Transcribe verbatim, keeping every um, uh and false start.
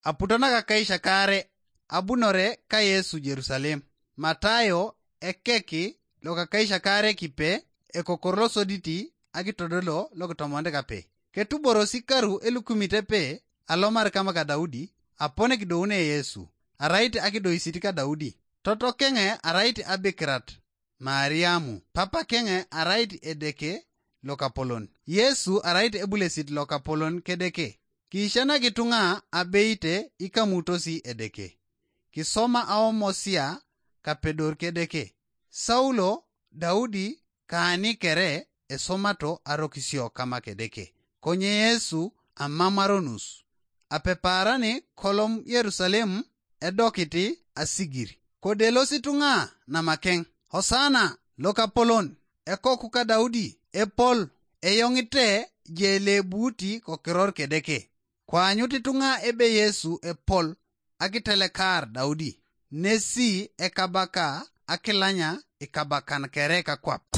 Aputo nakakaishakare abunore ka Yesu Jerusalem. Matayo ekeki lokakaishakare kipe, ekokor losoditi akitodolo lokitomonit kape. Ketuborosi karu elukumit epe alomar kama ka Daudi, apone kidoune Yesu, arait akidoisit ka Daudi. Totokenge arait abikirat Mariamu, papa kenge arait Edeke lokapolon. Yesu arait ebulesit lokapolon kedeke. Kiishanak ituŋa abeite ikamutosi Edeke. Kisoma aomosia kapedor kedeke. Saulo, Daudi, kaani kere esomato arokisio kama kedeke. Konye Yesu amamaronus. Apepaarani kolom Yerusalem edokiti asigir. Kodelos ituŋa namakeŋ, Hosana lokapolon, ekoku ka Daudi, epol, eyoŋite jelebuti kokiror kedeke. Koanyut ituŋa ebe Yesu epol akitelekar Daudi, nesi ekabaka akilanya ikabakan kere kakwap.